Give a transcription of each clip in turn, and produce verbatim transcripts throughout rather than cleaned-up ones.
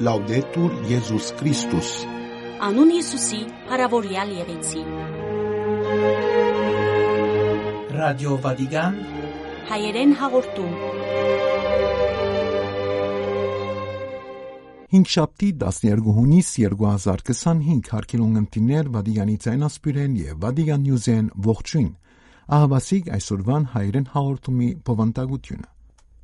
Լաուդետուր Եզուս Քրիստոս։ Անուն Յիսուսի փառաւորեալ եղեցի։ Ռադիո Վատիկան, հայերեն հաղորդում։ Հինգշաբթի, տասներկու յունիս երկու հազար քսանհինգ, հարգելի ունգընտիրներ, Վատիկանի ձայնասփիւռէն եւ Վատիկան Նիուզէն ողջոյն։ Ահաւասիկ այսօրուան հայերեն հաղորդումի բովանդակութիւնը։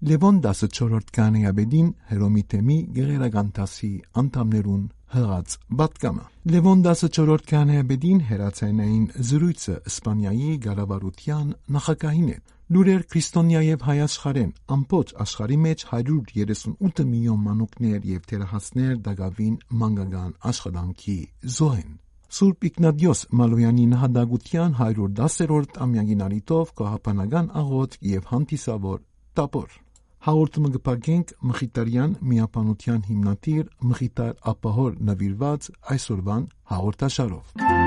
Լեւոն տասնչորրորդ քահանայապետին Հռոմի թեմի գեղերական դասի անդամներուն յղած պատգամը։ Լեւոն տասնչորրորդ քահանայապետին հեռաձայնային զրոյցը Իսպանիայի կառավարութեան նախագահին հետ։ Լուրեր քրիստոնեայ եւ հայ աշխարհէն։ Ամբողջ աշխարհի մէջ հարիւր երեսուն ութ միլիոն մանուկներ եւ թերահասներ տակաւին մանկական աշխատանքի զոհ են։ Սուրբ Իգնատիոս Մալոյանի նահատակութեան հարիւր տասերորդ ամեակին առիթով գոհաբանական աղօթք եւ հանդիսաւոր տապոր։ Հաղորդումը կը փակենք Մխիթարեան միաբանութեան հիմնադիր Մխիթար Աբբահոր նուիրուած այսօրուան հաղորդաշարով։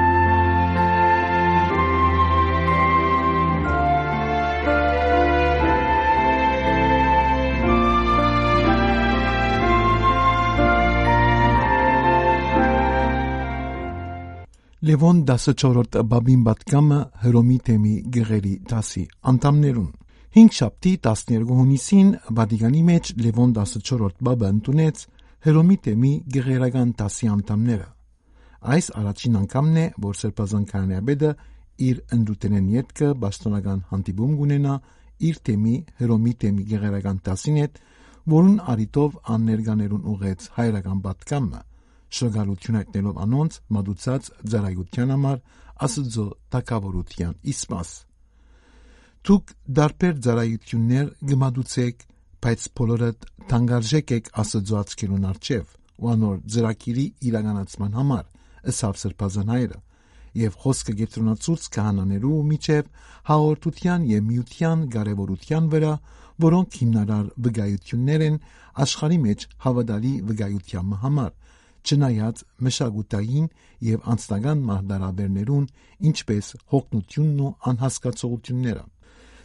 Լեւոն տասնչորրորդ պապին պատգամը Հռոմի թեմի գեղերի դասի անդամներուն։ Հինգշաբթի, տասներկու յունիսին Վատիկանի մէջ Լեւոն տասնչորրորդ պապը ընդունեց Հռոմի թեմի գեղերական դասի անդամները։ Այս առաջին անգամն է, որ Սրբազան քահանայապետը իր ընտրութենէն ետքը պաշտօնական հանդիպում կունենայ իր թեմի, Հռոմի թեմի գեղերական դասին հետ, որուն առիթով ան ներկաներուն ուղղեց հայրական պատգամը, շնորհակալութիւն յայտնելով անոնց մատուցած ծառայութեան համար, Աստուծոյ թագաւորութեան իսկ մաս։ Դուք տարբեր ծառայութիւններ կը մատուցէք, բայց բոլորդ թանկարժէք էք Աստուծոյ աչքերուն առջեւ ու անոր ծրագիրի իրականացման համար, ըսաւ Սրբազան հայրը, եւ խօսքը կեդրոնացուց քահանաներու միջեւ հաղորդութեան եւ միութեան կարեւորութեան վրայ, որոնք հիմնարար վկայութիւններ են աշխարհի մէջ հաւատալի վկայութեան մը համար, չնայած մշակութային եւ անձնական մարտահրաւերներուն, ինչպէս յոգնութիւնն ու անհասկացողութիւնները։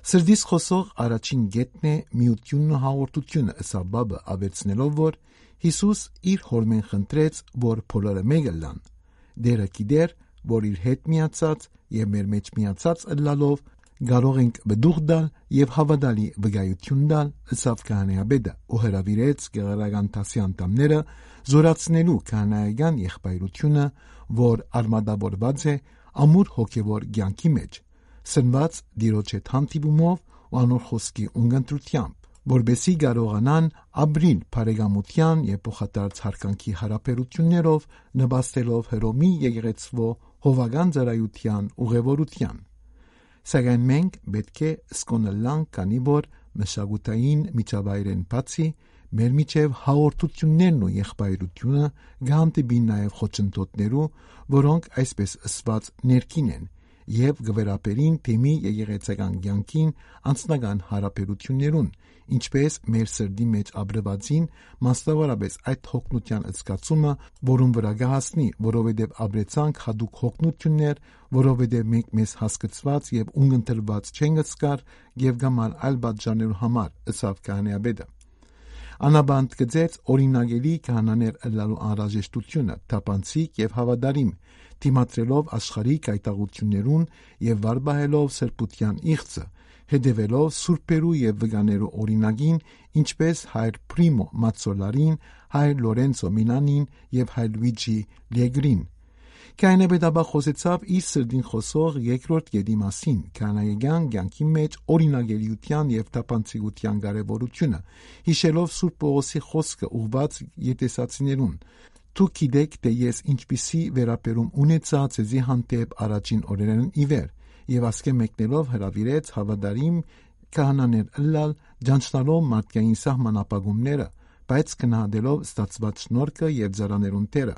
Սրտիս խօսող առաջին կետն է միութիւնն ու հաղորդութիւնը, ըսաւ պապը, աւելցնելով, որ Յիսուս իր Հօրմէն խնդրեց, որ բոլորը մէկ ըլլան։ Տէրը գիտէր, որ իր հետ միացած եւ մեր մէջ միացած ըլլալով կարող ենք պտուղ տալ եւ հաւատալի վկայութիւն տալ, ըսաւ քահանայապետը ու հրաւիրեց գեղարական դասի անդամները զորացնելու քահանայական եղբայրութիւնը, որ արմատավորուած է ամուր հոգեւոր կեանքի մէջ, սնված Տիրոջ հետ հանդիպումով ու անոր խօսքի ունգընտրութեամբ, որպէսզի կարողանան ապրիլ բարեկամութեան եւ փոխադարձ յարգանքի յարաբերութիւններով, նպաստելով Հռոմի եկեղեցւոյ հովական ծառայութեան ուղևորութեան։ Սակայն մենք պէտք է սկոն ըլլանք, քանի որ մշակութային միջավայրէն բացի, մեր միջեւ հաղորդութիւններն ու եղբայրութիւնը կը հանդիպին նաեւ խոչընդոտներու, որոնք այսպես ըսուած ներքին են, եւ կը վերաբերին թեմի եկեղեցական կեանքին, անձնական յարաբերութիւններուն, ինչպէս մեր սրտի մէջ ապրուածին, մասնաւորապէս այդ յոգնութեան զգացումը, որուն վրայ կը հասնի, որովհետեւ ապրեցանք յատուկ յոգնութիւններ, որովհետեւ մենք մեզ հասկցուած եւ ունգընտրուած չենք զգար եւ կամ ալ այլ պատճառներու համար, ըսաւ քահանայապետը։ Անապա ընդգծեց օրինակելի քահանաներ ըլլալու անհրաժեշտութիւնը, թափանցիկ եւ հաւատարիմ, դիմադրելով աշխարհի գայթակղութիւններուն եւ վար պահելով սրբութեան իղձը, հետեւելով սուրբերու եւ վկաներու օրինակին, ինչպէս հայր Պրիմո Մացոլարին, հայր Լորենցո Միլանին եւ հայր Լուիջի Լեգրին։ Քահանայապետը ապա խօսեցաւ իր սրտին խօսող երկրորդ կետի մասին, քահանայական կեանքի մէջ օրինակելիութեան եւ թափանցիկութեան կարեւորութիւնը, յիշելով Սուրբ Պողոսի խօսքը ուղղուած եկեղեցացիներուն. «Դուք գիտէք, թէ ես ինչպիսի վերաբերում ունեցայ ձեզի հանդէպ առաջին օրերէն ի վեր», եւ ասկէ մեկնելով հրաւիրեց հաւատարիմ քահանաներ ըլլալ, ճանչնալով մարդկային սահմանափակումները, բայց գնահատելով ստացուած շնորհքը եւ ծառաներուն դերը։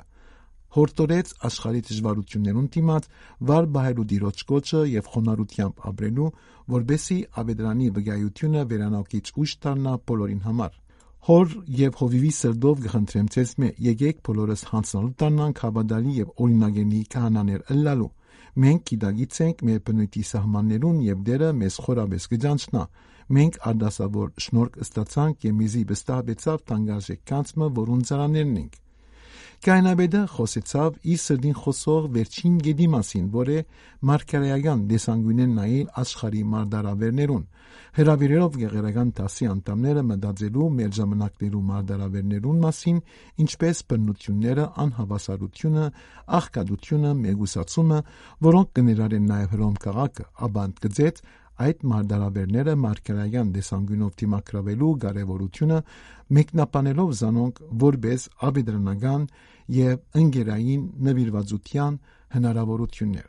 Յորդորեց աշխարհի դժուարութիւններուն դիմաց վար պահելու Տիրոջ կոչը եւ խոնարհութեամբ ապրելու, որպէսզի աւետարանի վկայութիւնը վերանորոգիչ ուժ դառնայ բոլորին համար։ Հօր եւ հովիւի սրտով կը խնդրեմ ձեզմէ, եկէք բոլորս յանձնալու դառնանք հաւատալի եւ օրինակելի քահանաներ ըլլալու։ Մենք գիտակից ենք մեր բնոյթի սահմաններուն եւ Տէրը մեզ խորապէս կը ճանչնայ։ Մենք արտասովոր շնորհք ստացանք եւ մեզի վստահուեցաւ թանկարժէք գանձ մը, որուն ծառաներն ենք։ Կայանապետը խօսեցաւ իր սրտին խօսող վերջին կետի մասին, որ է մարգարեական տեսանկիւնէն նայել աշխարհի մարտարաւերներուն։ Հրաւիրելով գեղերական դասի անդամները մտածելու մեր ժամանակներու մարտարաւերներուն մասին, ինչպէս բռնութիւնները, անհաւասարութիւնը, աղքատութիւնը, մեկուսացումը, որոնք կը ներառեն նաեւ Հռոմ քաղաքը, ապա ընդգծեց այդ մարտարաւերները մարգարեական տեսանկիւնով դիմագրաւելու կարեւորութիւնը, մեկնաբանելով զանոնք որպէս աւետարանական եւ ընկերային նուիրուածութեան հնարաւորութիւններ։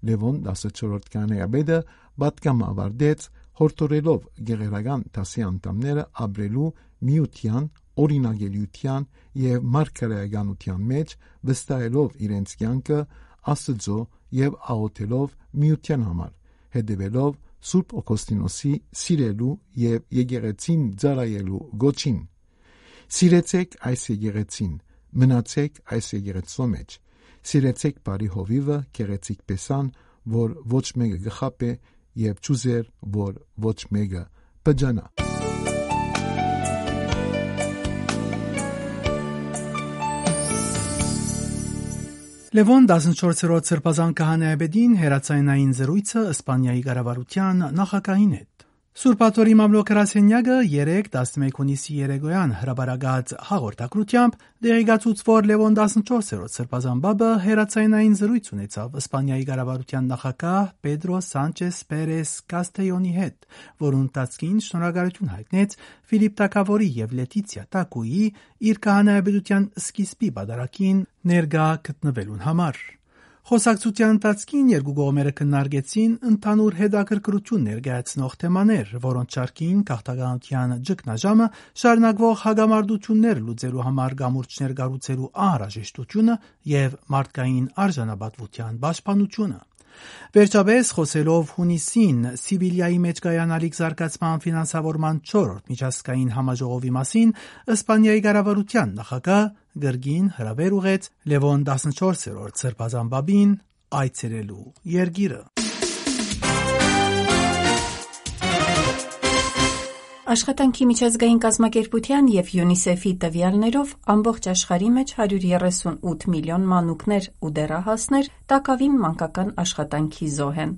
Լեւոն տասնչորսերորդ քահանայապետը պատգամը աւարտեց, յորդորելով գեղերական դասի անդամները ապրելու միութեան, օրինակելիութեան եւ մարգարեականութեան մէջ, վստահելով իրենց կեանքը Աստուծոյ եւ աղօթելով միութեան համար, հետեւելով Սուրբ Օգոստինոսի սիրելու եւ եկեղեցին ծառայելու գոչին։ «Սիրեցէք այս եկեղեցին, մնացէք այս եկեղեցու մէջ։ Սիրեցէք բարի հովիւը, գեղեցիկ փեսան, որ ոչ մէկը կը խաբէ, եւ չուզեր, որ ոչ մէկը պճանայ»։ Լեւոն տասնչորսերորդ սրբազան քահանայապետին հեռաձայնային զրոյցը Իսպանիայի կառավարութեան նախագահին հետ։ Սուրբ Աթոռի մամլոյ գրասենեակը երեկ, տասնմեկ հունիսի երեկոյան հրապարակած հաղորդագրութեամբ, տեղեկացուց, որ Լեւոն տասնչորսերորդ սրբազան պապը հեռաձայնային զրոյց ունեցաւ Իսպանիայի կառավարութեան նախագահ Պետրո Սանչես Պերես Կաստեյոնի հետ, որուն ընթացքին շնորհակալութիւն յայտնեց Ֆիլիպ Թագաւորի եւ Լետիցիա Տակուի՝ իր քահանայապետութեան սկիզբի պատարագին ներկայ գտնուելուն համար։ Խօսակցութեան ընթացքին երկու կողմերը քննարկեցին ընդհանուր հետաքրքրութիւն ներկայացնող թեմաներ, որոնց շարքին գաղթականութեան ճգնաժամը, շարունակուող հակամարտութիւններ լուծելու համար կամուրջներ կառուցելու անհրաժեշտութիւնը եւ մարդկային արժանապատուութեան պաշտպանութիւնը։ Վերջապէս, խօսելով յունիսին Սիվիլիայի մէջ կայանալիք զարգացման ֆինանսավորման չորրորդ միջազգային համաժողովի մասին, Իսպանիայի կառավարութեան նախագահ կրկին հրաւէր ուղղեց Լեւոն տասնչորսերորդ սրբազան պապին այցելելու երկիրը։ Աշխատանքի միջազգային կազմակերպութեան եւ յունիսեֆի տուեալներով, ամբողջ աշխարհի մէջ հարիւր երեսուն ութ միլիոն մանուկներ ու դեռահասներ տակաւին մանկական աշխատանքի զոհ են։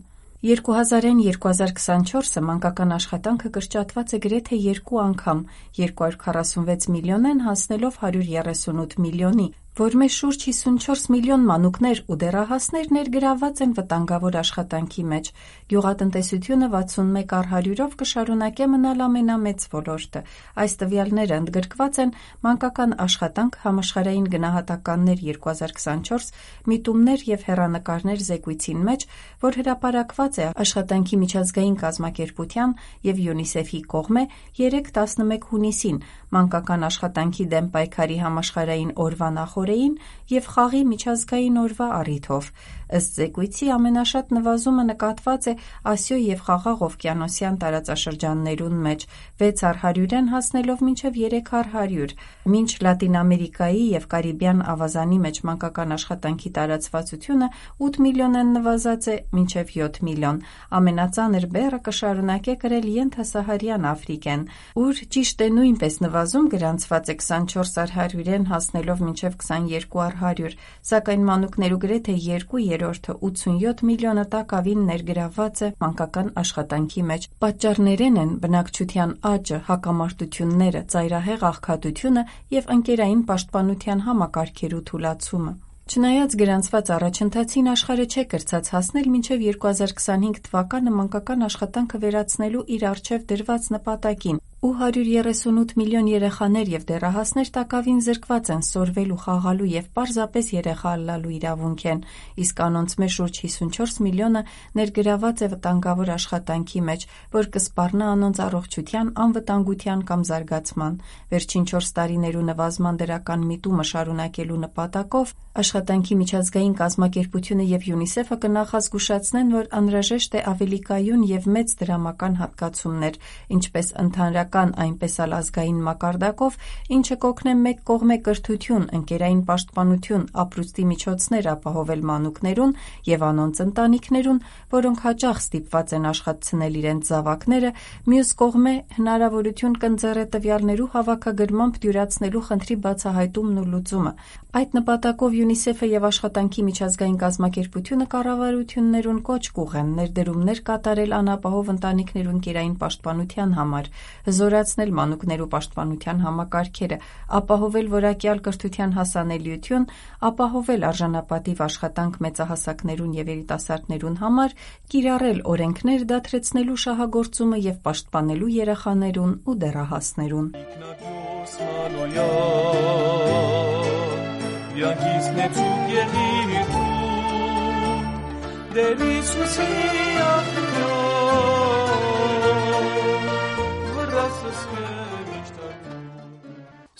Երկու հազարէն երկու հազար քսանչորսը մանկական աշխատանքը կրճատուած է գրեթէ երկու անգամ՝ երկու հարիւր քառասունվեց միլիոնէն հասնելով հարիւր երեսուն ութ միլիոնի, որ մէջ շուրջ հիսունչորս միլիոն մանուկներ ու դեռահասներ ներգրաւուած են վտանգաւոր աշխատանքի մէջ։ Գիւղատնտեսութիւնը վաթսուն մէկ առ հարիւրով կը շարունակէ մնալ ամենամեծ ոլորտը։ Այս տուեալները ընդգրկուած են մանկական աշխատանք, համաշխարհային գնահատականներ երկու հազար քսանչորս, միտումներ եւ հեռանկարներ զեկոյցին մէջ, որ հրապարակուած է Աշխատանքի միջազգային կազմակերպութեան եւ յունիսեֆի կողմէ երեկ, տասնմէկ հունիսին, մանկական աշխատանքի դէմ պայքարի համաշխարհային օրուայ նախօրեին եւ խաղի միջազգային օրուայ առիթով։ Ըստ զեկոյցի, ամենաշատ նվազումը նկատուած է Ասիոյ եւ Խաղաղ Ովկիանոսեան տարածաշրջաններուն մէջ՝ վեց առ հարիւրէն հասնելով մինչեւ երեք առ հարիւր, մինչ Լատին Ամերիկայի եւ Կարիբեան աւազանի մէջ մանկական աշխատանքի տարածուածութիւնը ութ միլիոնէն նուազած է մինչեւ յոթ միլիոն։ Ամենածանր բեռը կը շարունակէ կրել Ենթասահարեան Աֆրիկէն, ուր ճիշդ է նոյնպէս նուազում գրանցուած է քսանչորս առ հարիւրէն հասնելով մինչեւ քսաներկու առ հարիւր, սակայն մանուկներու գրեթէ երկու երրորդը, ութսունյոթ միլիոնը, տակաւին ներգրաւուած է մանկական աշխատանքի մէջ։ Պատճառներէն են բնակչութեան աճը, հակամարտութիւնները, ծայրահեղ աղքատութիւնը եւ ընկերային պաշտպանութեան համակարգերու թուլացումը։ Չնայած գրանցուած առաջընթացին, աշխարհը չէ կրցած հասնել մինչեւ երկու հազար քսանհինգ թվականը մանկական աշխատանքը վերացնելու իր առջեւ դրուած նպատակին, ու հարիւր երեսունութ միլիոն երեխաներ եւ դեռահասներ տակաւին զրկուած են սորվելու, խաղալու եւ պարզապէս երեխա ըլլալու իրաւունքէն, իսկ անոնց մէջ շուրջ հիսունչորս միլիոնը ներգրաւուած է վտանգաւոր աշխատանքի մէջ, որ կը սպառնայ անոնց առողջութեան անվտանգութեան կամ զարգացման։ Վերջին չորս տարիներու նուազման դրական միտումը շարունակելու նպատակով, Աշխատանքի միջազգային կազմակերպութիւնը եւ յունիսեֆը կը նախազգուշացնեն, որ անհրաժեշտ է աւելի կայուն եւ մեծ դրամական յատկացումներ, ինչպէս ընդհանրական կան այնպէս ալ ազգային մակարդակով, ինչը կ'օգնէ մէկ կողմէ կրթութիւն, ընկերային պաշտպանութիւն, ապրուստի միջոցներ ապահովել մանուկներուն եւ անոնց ընտանիքներուն, որոնք յաճախ ստիպուած են աշխատցնել իրենց զաւակները, միւս կողմէ հնարաւորութիւն կ'ընձեռէ տուեալներու հաւաքագրմամբ դիւրացնելու խնդրի բացայայտումն ու լուծումը։ Այդ նպատակով ЮNICEF-ը եւ Աշխատանքի միջազգային կազմակերպութիւնը կառավարութիւններուն կոչ կ'ուղղեն ներդրումներ կատարել անապահով ընտանիքներուն կերային պաշտպանութեան համար, զօրացնել մանուկներու պաշտպանութեան համակարգերը, ապահովել որակեալ կրթութեան հասանելիութիւն, ապահովել արժանապատիվ աշխատանք մեծահասակներուն եւ երիտասարդներուն համար, կիրառել օրէնքներ դադրեցնելու շահագործումը եւ պաշտպանելու երեխաներուն ու դեռահասներուն։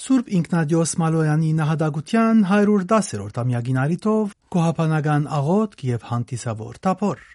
Սուրբ Ինքնատիոս Մալոյանի նահատակութեան հարիւր տասերորդ ամեակին առիթով գոհաբանական աղօթք եւ հանդիսաւոր թափոր։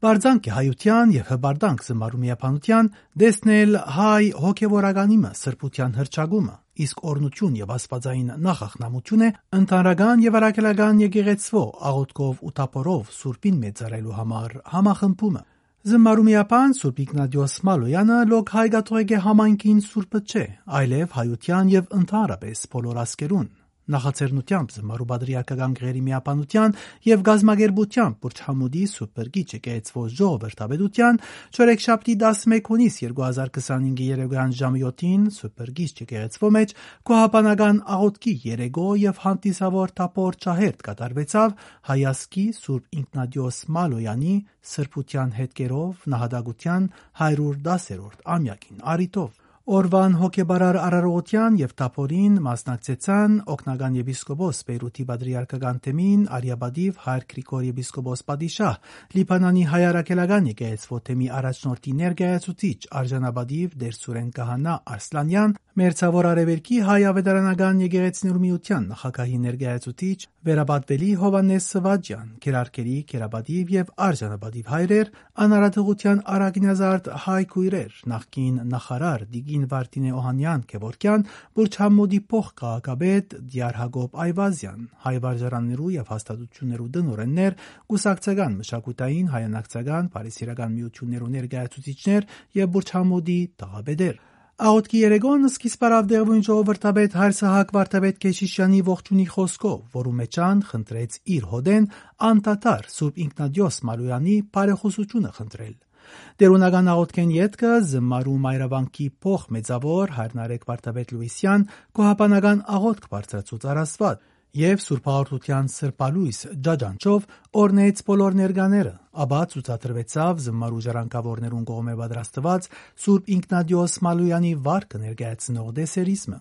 Պարզանք է հայութեան եւ հպարտանք զմարու միաբանութեան, տեսնել հայ հոգեվորականի մը սրբութեան հռչակումը, իսկ օրհնութիւն եւ աստուածային նախախնամութիւն է ընդհանրական եւ առաքելական եկեղեցւոյ աղօթքով ու թափորով սուրբին մեծարելու համար համախմբումը։ Զմարու միաբան Սուրբ Ինքնատիոս Մալոյանը լոկ հայ կաթողիկէ համայնքին սուրբը չէ, այլեւ հայութեան եւ ընդհանրապէս բոլոր ազգերուն։ Նախաձեռնութեամբ զմարու պատրիարքական գղերի միաբանութեան եւ գազմագերբութեամբ Պուրճ Համուդի Սուրբ Բրգիչ եկեղեցւոյ ժողովրդապետութեան Չորեքշաբթի տասնմէկ հունիս երկու հազար քսանհինգի երեկոյան ժամը յոթին Սուրբ Բրգիչ եկեղեցւոյ մէջ գոհաբանական աղօթքի երեկոյ եւ հանդիսաւոր թափոր ջահերթ կատարուեցաւ հայ ազգի Սուրբ Ինքնատիոս Մալոյանի սրբութեան հետքերով նահատակութեան հարիւր տասերորդ ամեակին առիթով։ Օրուան հոգեպարար արարողութեան եւ թափորին մասնակցեցան օգնական եպիսկոպոս Պէյրութի պատրիարքական թեմին արիապատիվ հայր Գրիգոր եպիսկոպոս պատիշահ, Լիբանանի հայ առաքելական եկեղեցւոյ թեմի առաջնորդի ներկայացուցիչ արժանապատիվ Տեր Սուրէն Քահանա Արսլանեան, Մերձաւոր Արեւելքի հայ աւետարանական եկեղեցիներու միութեան նախագահի ներկայացուցիչ վերապատուելի Յովհաննէս Սվաճեան, քերարքերի, քերապատիվ եւ արժանապատիվ հայրեր, անարատողութեան առակինազարդ հայ քոյրեր, նախկին նախարար տիկին Վարդինէ Օհանեան Գեւորգեան, Պուրճ Համուդի փոխ քաղաքապետ Տիար Յակոբ Այվազեան, հայ վարժարաններու եւ հաստատութիւններու տնօրէններ, կուսակցական, մշակութային, հայանակցական, բարեսիրական միութիւններու ներկայացուցիչներ եւ Պուրճ Համուդի թաղապետեր։ Աղօթքի երեկոյն սկիզբ առաւ տեղւոյն ժողովրդապետ հայր Սահակ Վարդապետ Քեշիշեանի ողջունի խօսքով, որու մէջ ան խնդրեց իր հօտէն անդադար Սուրբ Ինքնատիոս Մալոյանի բարեխօսութիւնը խնդրել։ Տէրունական աղօթքէն ետքը զմարու մայրավանքի փոխ մեծաւոր հայր Նարեկ Վարդապետ Լուիսեան գոհաբանական աղօթք բարձրացուց առ Աստուած եւ Սուրբ Հաղորդութեան սրբալոյս ջաջանչով օրհնեց բոլոր ներկաները, ապա ցուցադրուեցաւ զմարու ժառանգաւորներուն կողմէ պատրաստուած Սուրբ Ինքնատիոս Մալոյանի վարկը ներկայացնող տեսերիզմը։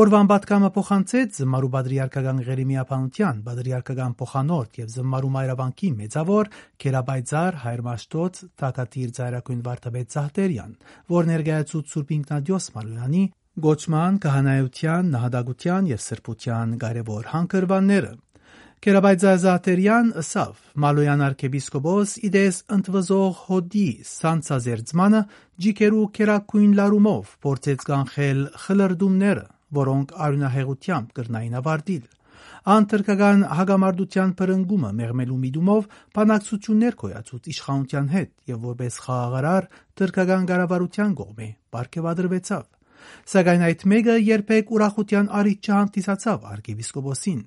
Օրուան պատգամը փոխանցեց զմարու պատրիարքական գղերի միաբանութեան պատրիարքական փոխանորդ եւ զմարու մայրավանքի մեծաւոր քերապայծառ հայր Մաշտոց թագադիր ծայրագոյն Վարդապետ Զահտերեան, որ ներկայացուց Սուրբ Ինքնատիոս Մալոյանի կոչման, քահանայութեան, նահատակութեան եւ սրբութեան կարեւոր հանգրուանները։ Քերապայծառ Զահտերեան ըսաւ. «Մալոյան արքեպիսկոպոս, ի տես ընդվզող հոտի սանցազերծմանը, ջիքերու քերագոյն լարումով փորձեց կանխել խլրտումները, որոնք արիւնահեղութեամբ կրնային ավարտիլ։ Ան թրքական հակամարտութեան բռնկումը մեղմելու միտումով բանակցութիւններ գոյացուց իշխանութեան հետ եւ որպէս խաղաղարար թրքական կառավարութեան կողմէ պարգեւատրուեցաւ։ Սակայն այդ մէկը երբեք ուրախութեան առիթ չհանդիսացաւ արքեպիսկոպոսին։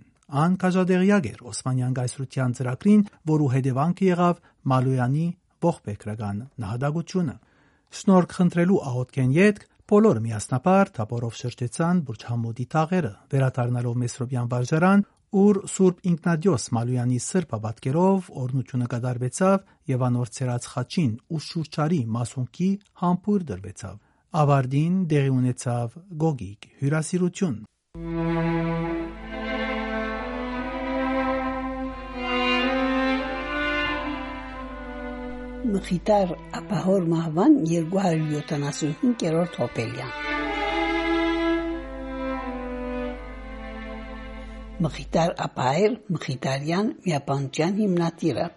Ան քաջատեղեակ էր Օսմանեան կայսրութեան ծրագրին, որու հետեւանքը եղաւ Մալոյանի ողբերգական նահատակությունը»։ Շնորհք խնդրելու աղօթքէն ետք բոլորը միասնաբար թափորով շրջեցան Բուրջ Համուդի թաղերը, վերադառնալով Մեսրոպեան վարժարան, ուր Սուրբ Ինքնատիոս Մալոյանի սրբապատկերով օրհնութիւնը կատարուեցաւ եւ անոր ցերած խաչին ու շուրջարի մասունքի համբոյր տրուեցաւ։ Ավարտին տեղի ունեցաւ գոգիկ հիւրասիրութիւն։ Մխիթար Աբահոր մահուան երկու հարիւր յոթանասունհինգերորդ յոբելեան։ Մխիթար Աբահեր Մխիթարեան միաբանութեան հիմնադիրը։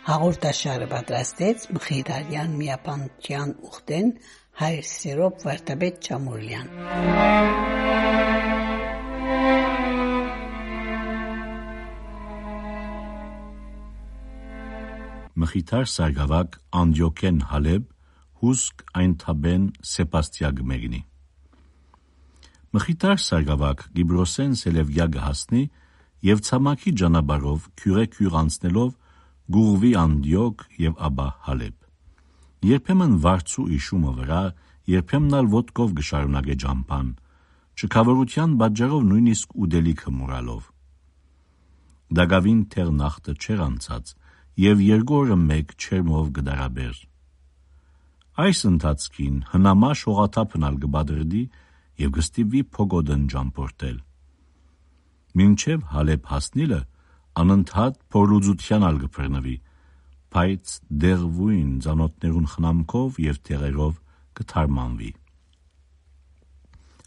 Հաղորդաշարը պատրաստեց Մխիթարեան միաբանութեան ուխտէն Հայր Սերոբ Վարդապետ Չամուրլեան։ Մխիթար Սարգսակ Անդիոքէն Հալեբ, հուսկ այն թաբէն Սեպաստիա կը մեկնի։ Մխիթար Սարգսակ Կիպրոսէն Սելեւկիա կը հասնի եւ ցամաքի ճանապարհով քիւղէ քիւղ անցնելով կ'ուղղուի Անդիոք եւ ապա Հալեբ։ Երբեմն վարձու իշումը վրայ, երբեմն ալ ոտքով կը շարունակէ ճամբան, չքաւորութեան պատճառով նոյնիսկ ուտելիքը մոռալով։ Տակաւին դեռ նախտը չէր անցած եւ երկու օրը մէկ չերմով կը տարապէր։ Այս ընթացքին հնամաշ հողաթափն ալ կը պատրդի եւ կը ստիպուի փոկոտն ճամբորդել։ Մինչեւ Հալեբ հասնիլը անընդհատ փորլուծութեան ալ կը բռնուի, բայց դեղուին ծանօթներուն խնամքով եւ դեղերով կը թարմանուի։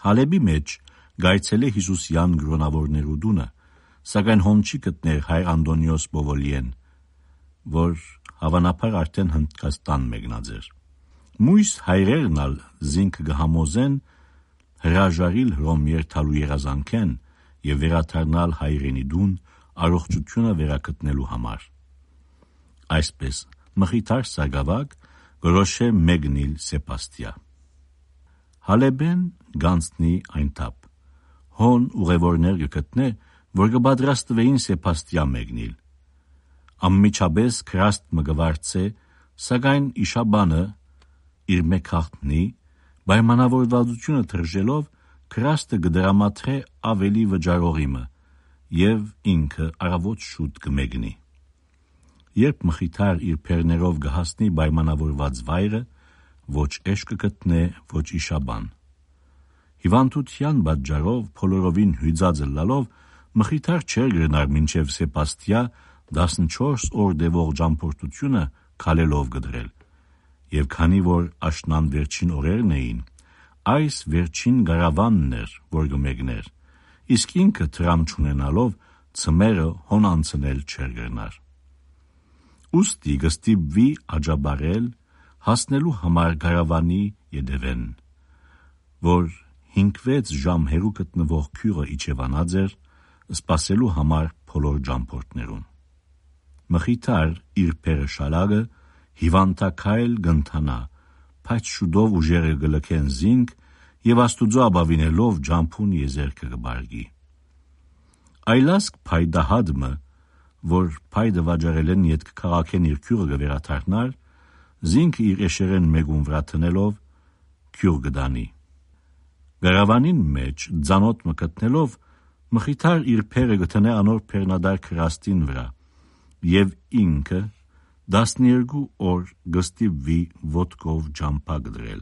Հալեբի մէջ կ'այցելէ Յիսուսեան կրօնաւորներու տունը, սակայն հոն չի գտներ հայր Անտոնիոս Պովոլիեն, որ հաւանաբար արդէն Հնդկաստան մեկնած էր։ Մոյս հայրերն ալ զինքը կը համոզեն հրաժարիլ Հռոմ երթալու երազանքէն եւ վերադառնալ հայրենի տուն՝ առողջութիւնը վերագտնելու համար։ Այսպէս, Մխիթար Սարգսակ կորոշէ մեկնիլ Սեպաստիա։ Հալեբէն կ'անցնի այն թափ։ Հոն ուղեւորներ կը գտնէ, որ կը պատրաստուէին Սեպաստիա մեկնիլ։ Անմիջապէս գրաստ մը կը վարձէ, սակայն իշաբանը իր մէկ հաղթնի, պայմանավորվածութիւնը թռժելով՝ գրաստը կը դրամատրէ աւելի վճարողի մը եւ ինքը առաւօտ շուտ կը մեկնի։ Երբ Մխիթար իր բեռներով կը հասնի պայմանավորված վայրը, ոչ էշ կը գտնէ, ոչ իշաբան։ Հիւանդութեան պատճառով բոլորովին հիւծած ըլլալով՝ Մխիթար չէր կրնար մինչեւ Սեպաստիա տասնչորս օր տեւող ճամբորդութիւնը քալելով կտրել։ Եւ քանի որ աշնան վերջին օրերն էին, այս վերջին կարաւանն էր, որ կը մեկներ, իսկ ինքը դրամ չունենալով՝ ձմեռը հոն անցնել չէր կրնար։ Ուստի կը ստիպուի աճապարել՝ հասնելու համար կարաւանի ետեւէն, որ հինգ-վեց ժամ հեռու գտնուող գիւղը իջեւանած էր՝ սպասելու համար բոլոր ճամբորդներուն։ Մխիթար իր բեռը շալակը հիւանդաքայլ կ'ընթանայ, բայց շուտով ուժերը կը լքեն զինք եւ Աստուծոյ ապաւինելով ճամբուն եզերքը կը պառկի։ Այլազգ փայտահատ մը, որ փայտը վաճառելէն ետք քաղաքէն իր գիւղը կը վերադառնար, զինքը իր էշերէն մէկուն վրայ դնելով՝ գիւղ կը տանի։ Կարաւանին մէջ ծանօթ մը գտնելով՝ Մխիթար իր բեռը կը դնէ անոր բեռնատար գրաստին վրայ եւ ինքը տասներկու օր կը ստիպուի ոտքով ճամբայ կտրել։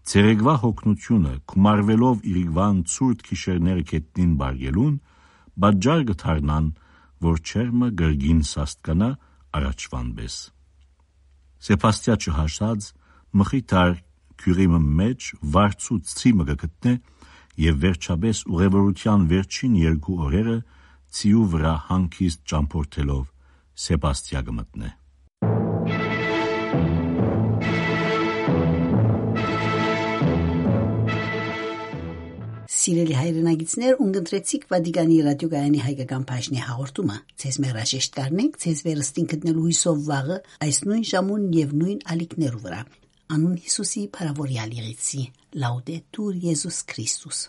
Ցերեկուայ յոգնութիւնը, գումարուելով իրիկուան ցուրտ գիշերները գետնին պառկելուն, պատճառ կը դառնան, որ չերմը կրկին սաստկանայ առաջուան պէս։ Սեպաստիա չհասած՝ Մխիթար գիւղի մը մէջ վարձու ցի մը կը գտնէ եւ վերջապէս ուղեւորութեան վերջին երկու օրերը ցիու վրայ հանգիստ ճամբորդելով՝ Սեպաստիա կը մտնէ։ Սիրելի հայրենակիցներ, ունկնդրեցիք Վատիկանի ռադիոկայանի հայկական բաժնի հաղորդումը։ Ձեզ մեր հրաժեշտ կ'առնենք ձեզ վերստին գտնելու հոյսով վաղը այս նոյն ժամուն եւ նոյն ալիքներու վրայ։ Անուն Յիսուսի փառաւորեալ եղեցի։ Լաուդետուր Եզուս Քրիստոս։